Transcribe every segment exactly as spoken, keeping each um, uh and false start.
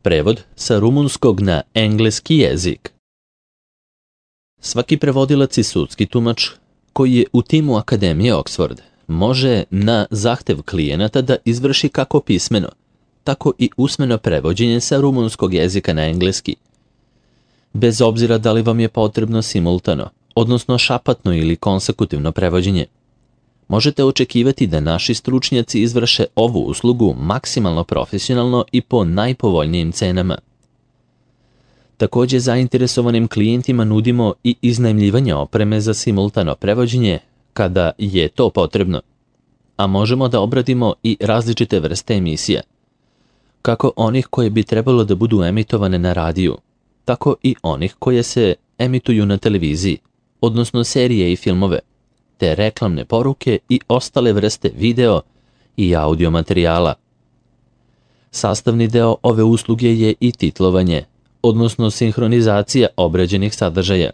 Prevod sa rumunskog na engleski jezik. Svaki prevodilac i sudski tumač koji je u timu Akademije Oxford može na zahtev klijenata da izvrši kako pismeno, tako i usmeno prevođenje sa rumunskog jezika na engleski. Bez obzira da li vam je potrebno simultano, odnosno šapatno ili konsekutivno prevođenje. Možete očekivati da naši stručnjaci izvrše ovu uslugu maksimalno profesionalno i po najpovoljnijim cenama. Također zainteresovanim klijentima nudimo i iznajmljivanje opreme za simultano prevođenje kada je to potrebno, a možemo da obradimo i različite vrste emisija, kako onih koje bi trebalo da budu emitovane na radiju, tako i onih koje se emituju na televiziji, odnosno serije i filmove, te reklamne poruke i ostale vrste video i audio materijala. Sastavni deo ove usluge je i titlovanje, odnosno sinhronizacija obrađenih sadržaja.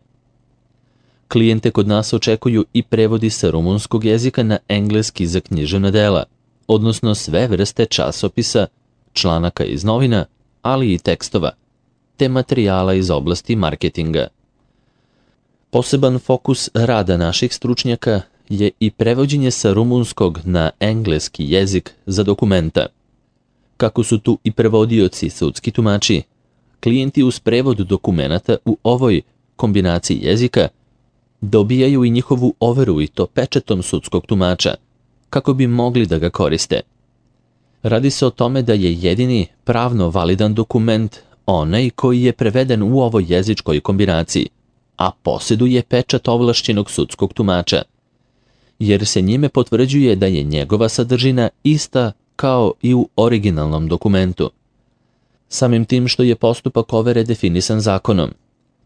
Klijente kod nas očekuju i prevodi sa rumunskog jezika na engleski za književna dela, odnosno sve vrste časopisa, članaka iz novina, ali i tekstova, te materijala iz oblasti marketinga. Poseban fokus rada naših stručnjaka je i prevođenje sa rumunskog na engleski jezik za dokumenta. Kako su tu i prevodioci i sudski tumači, klijenti uz prevod dokumenata u ovoj kombinaciji jezika dobijaju i njihovu overu i to pečetom sudskog tumača, kako bi mogli da ga koriste. Radi se o tome da je jedini pravno validan dokument onaj koji je preveden u ovoj jezičkoj kombinaciji, a posjeduje pečat ovlašćenog sudskog tumača, jer se njime potvrđuje da je njegova sadržina ista kao i u originalnom dokumentu. Samim tim što je postupak overe definisan zakonom,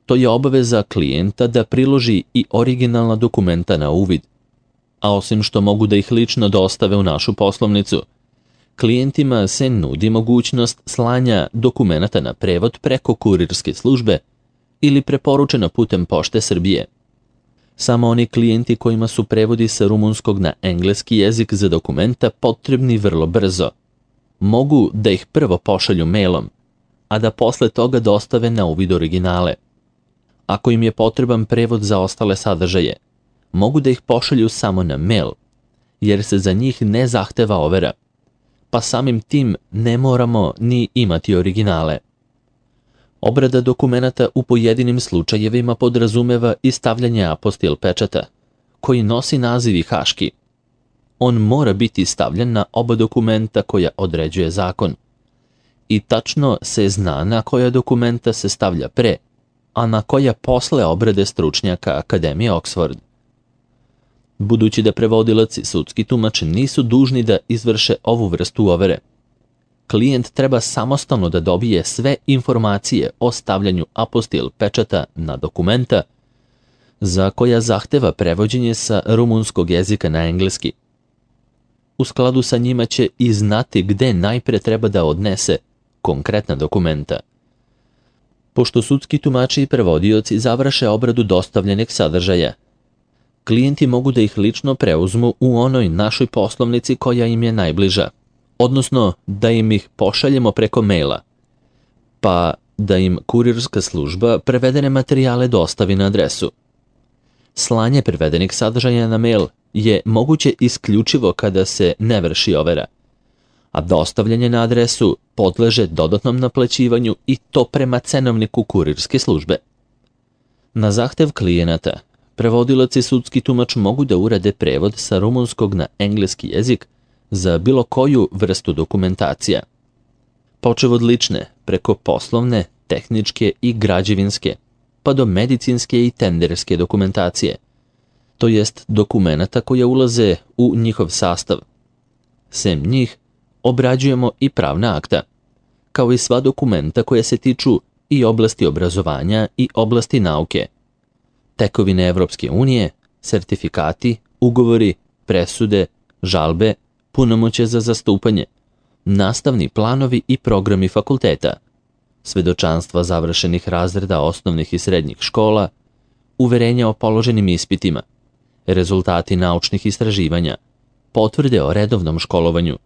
to je obaveza klijenta da priloži i originalna dokumenta na uvid, a osim što mogu da ih lično dostave u našu poslovnicu, klijentima se nudi mogućnost slanja dokumenata na prevod preko kurirske službe ili preporučeno putem Pošte Srbije. Samo oni klijenti kojima su prevodi sa rumunskog na engleski jezik za dokumenta potrebni vrlo brzo, mogu da ih prvo pošalju mailom, a da posle toga dostave na uvid originale. Ako im je potreban prevod za ostale sadržaje, mogu da ih pošalju samo na mail, jer se za njih ne zahteva overa, pa samim tim ne moramo ni imati originale. Obrada dokumenata u pojedinim slučajevima podrazumeva i stavljanje apostil pečata, koji nosi naziv i haški. On mora biti stavljen na oba dokumenta koja određuje zakon. I tačno se zna na koja dokumenta se stavlja pre, a na koja posle obrade stručnjaka Akademije Oxford. Budući da prevodilac i sudski tumač nisu dužni da izvrše ovu vrstu overe, klijent treba samostalno da dobije sve informacije o stavljanju apostil pečata na dokumenta za koja zahteva prevođenje sa rumunskog jezika na engleski. U skladu sa njima će i znati gde najpre treba da odnese konkretna dokumenta. Pošto sudski tumači i prevodioci završe obradu dostavljenih sadržaja, klijenti mogu da ih lično preuzmu u onoj našoj poslovnici koja im je najbliža, odnosno da im ih pošaljemo preko maila, pa da im kurirska služba prevedene materijale dostavi na adresu. Slanje prevedenih sadržaja na mail je moguće isključivo kada se ne vrši overa, a dostavljanje na adresu podleže dodatnom naplaćivanju i to prema cenovniku kurirske službe. Na zahtev klijenata, prevodilac i sudski tumač mogu da urade prevod sa rumunskog na engleski jezik za bilo koju vrstu dokumentacija. Počev od lične, preko poslovne, tehničke i građevinske, pa do medicinske i tenderske dokumentacije, to jest dokumenata koja ulaze u njihov sastav. Sem njih, obrađujemo i pravna akta, kao i sva dokumenta koja se tiču i oblasti obrazovanja i oblasti nauke, tekovine Evropske unije, sertifikati, ugovori, presude, žalbe, punomoćje za zastupanje, nastavni planovi i programi fakulteta, svedočanstva završenih razreda osnovnih i srednjih škola, uverenja o položenim ispitima, rezultati naučnih istraživanja, potvrde o redovnom školovanju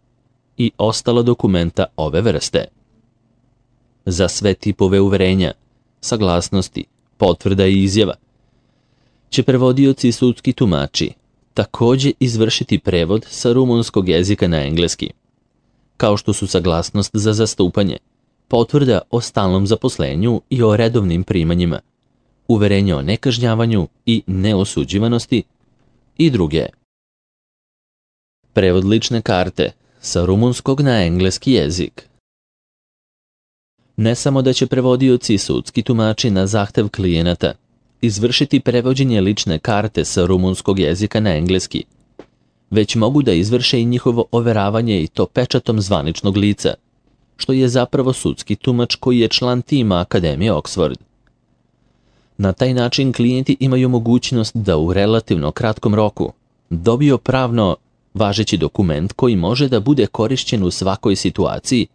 i ostala dokumenta ove vrste. za sve tipove uverenja, saglasnosti, potvrda i izjava, će prevodioci i sudski tumači također izvršiti prevod sa rumunskog jezika na engleski, kao što su saglasnost za zastupanje, potvrda o stalnom zaposlenju i o redovnim primanjima, uverenje o nekažnjavanju i neosuđivanosti i druge. Prevod lične karte sa rumunskog na engleski jezik. Ne samo da će prevodioci i sudski tumači na zahtev klijenata izvršiti prevođenje lične karte sa rumunskog jezika na engleski, već mogu da izvrše i njihovo overavanje i to pečatom zvaničnog lica, što je zapravo sudski tumač koji je član tima Akademije Oxford. Na taj način klijenti imaju mogućnost da u relativno kratkom roku dobiju pravno važeći dokument koji može da bude korišćen u svakoj situaciji,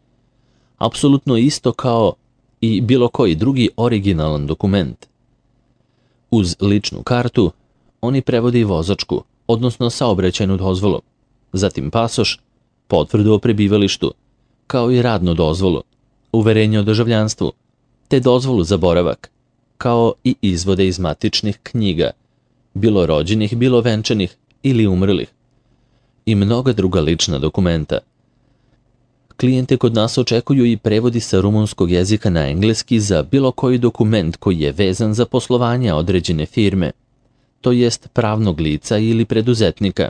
apsolutno isto kao i bilo koji drugi originalan dokument. Uz ličnu kartu, oni prevode vozačku, odnosno saobraćajnu dozvolu, zatim pasoš, potvrdu o prebivalištu, kao i radnu dozvolu, uverenje o državljanstvu, te dozvolu za boravak, kao i izvode iz matičnih knjiga, bilo rođenih, bilo venčanih ili umrlih, i mnoga druga lična dokumenta. Klijente kod nas očekuju i prevodi sa rumunskog jezika na engleski za bilo koji dokument koji je vezan za poslovanje određene firme, to jest pravnog lica ili preduzetnika.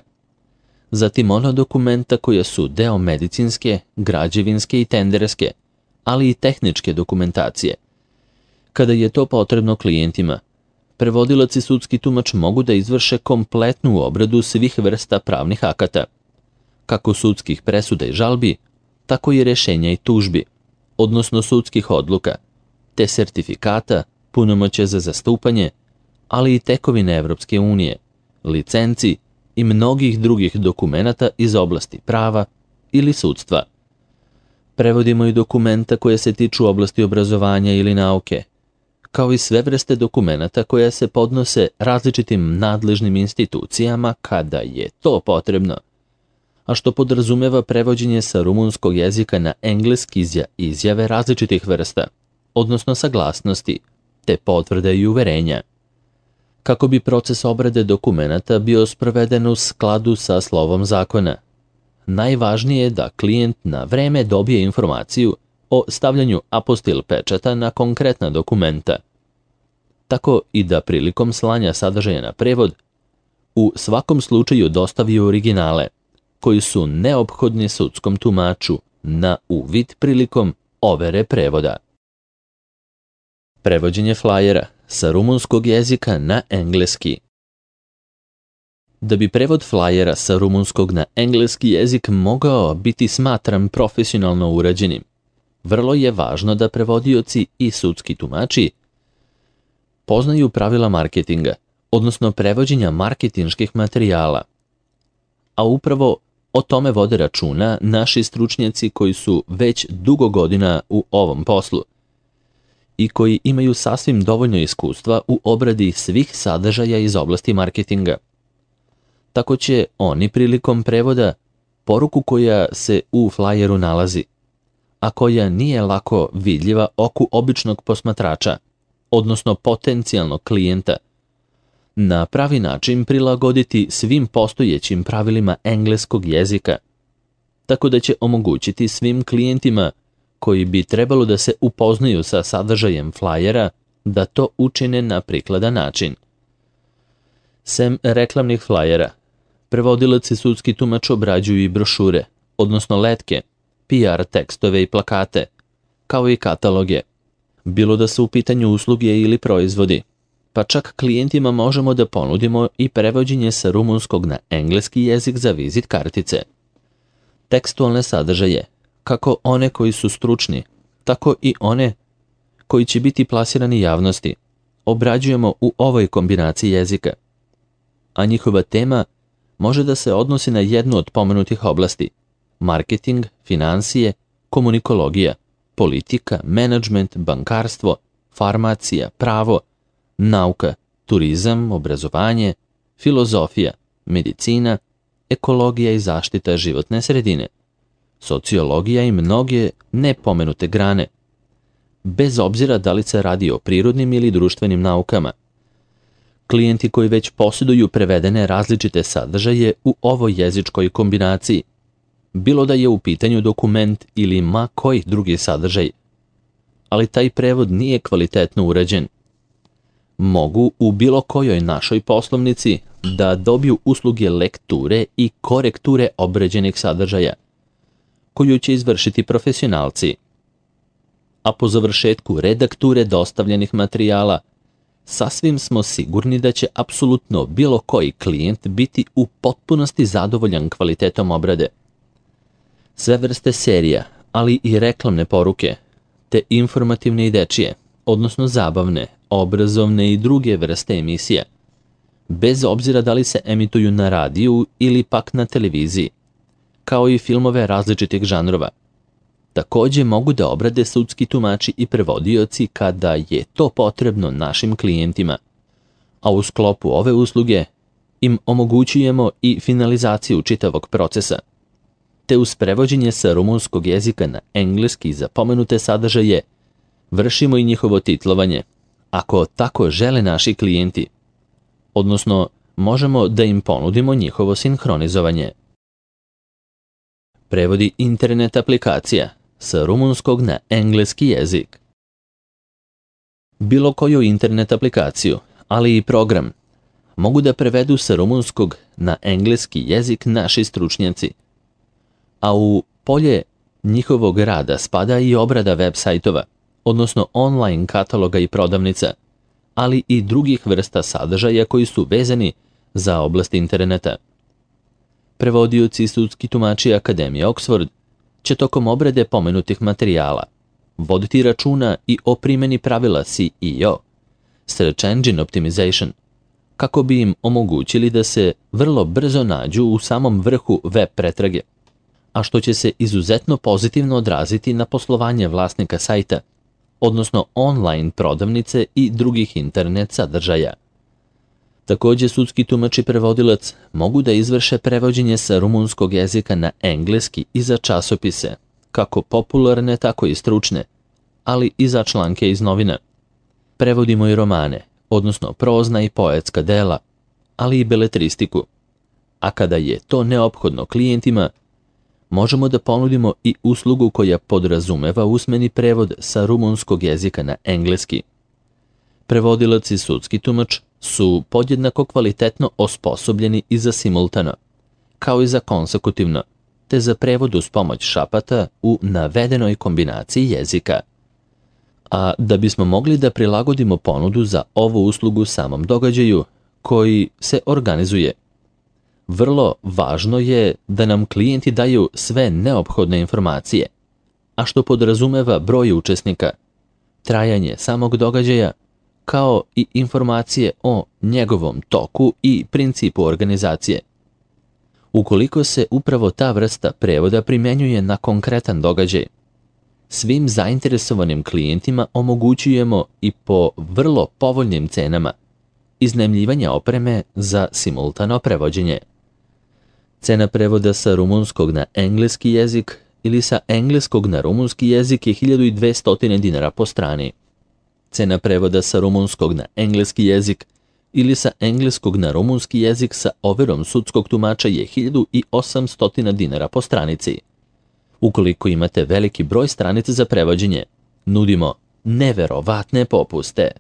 Zatim ona dokumenta koja su deo medicinske, građevinske i tenderske, ali i tehničke dokumentacije. Kada je to potrebno klijentima, prevodilac i sudski tumač mogu da izvrše kompletnu obradu svih vrsta pravnih akata, kako sudskih presuda i žalbi, tako i rješenja i tužbi, odnosno sudskih odluka, te sertifikata, punomoćja za zastupanje, ali i tekovine Evropske unije, licenci i mnogih drugih dokumenata iz oblasti prava ili sudstva. Prevodimo i dokumenta koje se tiču oblasti obrazovanja ili nauke, kao i sve vrste dokumenata koje se podnose različitim nadležnim institucijama kada je to potrebno, a što podrazumeva prevođenje sa rumunskog jezika na engleski za izjave različitih vrsta, odnosno saglasnosti, te potvrde i uverenja. Kako bi proces obrade dokumenata bio sproveden u skladu sa slovom zakona, najvažnije je da klijent na vreme dobije informaciju o stavljanju apostil pečata na konkretna dokumenta, tako i da prilikom slanja sadržaja na prevod u svakom slučaju dostavi originale, koji su neophodni sudskom tumaču na uvid prilikom overe prevoda. Prevođenje flajera sa rumunskog jezika na engleski. Da bi prevod flajera sa rumunskog na engleski jezik mogao biti smatran profesionalno urađenim, vrlo je važno da prevodioci i sudski tumači poznaju pravila marketinga, odnosno prevođenja marketinških materijala, a upravo o tome vode računa naši stručnjaci koji su već dugo godina u ovom poslu i koji imaju sasvim dovoljno iskustva u obradi svih sadržaja iz oblasti marketinga. Tako će oni prilikom prevoda poruku koja se u flajeru nalazi, a koja nije lako vidljiva oku običnog posmatrača, odnosno potencijalnog klijenta, na pravi način prilagoditi svim postojećim pravilima engleskog jezika, tako da će omogućiti svim klijentima koji bi trebalo da se upoznaju sa sadržajem flajera da to učine na prikladan način. Sem reklamnih flajera, prevodilac i sudski tumač obrađuju i brošure, odnosno letke, P R tekstove i plakate, kao i kataloge, bilo da su u pitanju usluge ili proizvodi, pa čak klijentima možemo da ponudimo i prevođenje sa rumunskog na engleski jezik za vizit kartice. Tekstualne sadržaje, kako one koji su stručni, tako i one koji će biti plasirani javnosti, obrađujemo u ovoj kombinaciji jezika, a njihova tema može da se odnosi na jednu od pomenutih oblasti: marketing, finansije, komunikologija, politika, menadžment, bankarstvo, farmacija, pravo, nauka, turizam, obrazovanje, filozofija, medicina, ekologija i zaštita životne sredine, sociologija i mnoge nepomenute grane, bez obzira da li se radi o prirodnim ili društvenim naukama. Klijenti koji već posjeduju prevedene različite sadržaje u ovoj jezičkoj kombinaciji, bilo da je u pitanju dokument ili ma koji drugi sadržaj, ali taj prevod nije kvalitetno urađen, mogu u bilo kojoj našoj poslovnici da dobiju usluge lekture i korekture obrađenih sadržaja, koju će izvršiti profesionalci. A po završetku redakture dostavljenih materijala, sasvim smo sigurni da će apsolutno bilo koji klijent biti u potpunosti zadovoljan kvalitetom obrade. Sve vrste serija, ali i reklamne poruke, te informativne i dečije, odnosno zabavne, obrazovne i druge vrste emisija, bez obzira da li se emituju na radiju ili pak na televiziji, kao i filmove različitih žanrova. Također mogu da obrade sudski tumači i prevodioci kada je to potrebno našim klijentima, a u sklopu ove usluge im omogućujemo i finalizaciju čitavog procesa, te uz prevođenje sa rumunskog jezika na engleski za pomenute sadržaje vršimo i njihovo titlovanje, ako tako žele naši klijenti, odnosno možemo da im ponudimo njihovo sinhronizovanje. Prevodi internet aplikacija sa rumunskog na engleski jezik. Bilo koju internet aplikaciju, ali i program, mogu da prevedu sa rumunskog na engleski jezik naši stručnjaci, a u polje njihovog rada spada i obrada web sajtova, odnosno online kataloga i prodavnica, ali i drugih vrsta sadržaja koji su vezani za oblast interneta. Prevodioci i sudski tumači Akademije Oxford će tokom obrade pomenutih materijala voditi računa i o primjeni pravila S E O, Search Engine Optimization, kako bi im omogućili da se vrlo brzo nađu u samom vrhu web pretrage, a što će se izuzetno pozitivno odraziti na poslovanje vlasnika sajta, odnosno online prodavnice i drugih internet sadržaja. Također sudski tumač i prevodilac mogu da izvrše prevođenje sa rumunskog jezika na engleski i za časopise, kako popularne, tako i stručne, ali i za članke iz novina. Prevodimo i romane, odnosno prozna i poetska dela, ali i beletristiku. A kada je to neophodno klijentima, možemo da ponudimo i uslugu koja podrazumeva usmeni prevod sa rumunskog jezika na engleski. Prevodilac i sudski tumač su podjednako kvalitetno osposobljeni i za simultano, kao i za konsekutivno, te za prevod uz pomoć šapata u navedenoj kombinaciji jezika. A da bismo mogli da prilagodimo ponudu za ovu uslugu samom događaju koji se organizuje, vrlo važno je da nam klijenti daju sve neophodne informacije, a što podrazumeva broj učesnika, trajanje samog događaja, kao i informacije o njegovom toku i principu organizacije. Ukoliko se upravo ta vrsta prevoda primjenjuje na konkretan događaj, svim zainteresovanim klijentima omogućujemo i po vrlo povoljnim cenama iznajmljivanje opreme za simultano prevođenje. Cena prevoda sa rumunskog na engleski jezik ili sa engleskog na rumunski jezik je hiljadu dvesta dinara po strani. Cena prevoda sa rumunskog na engleski jezik ili sa engleskog na rumunski jezik sa overom sudskog tumača je hiljadu osamsto dinara po stranici. Ukoliko imate veliki broj stranica za prevođenje, nudimo neverovatne popuste.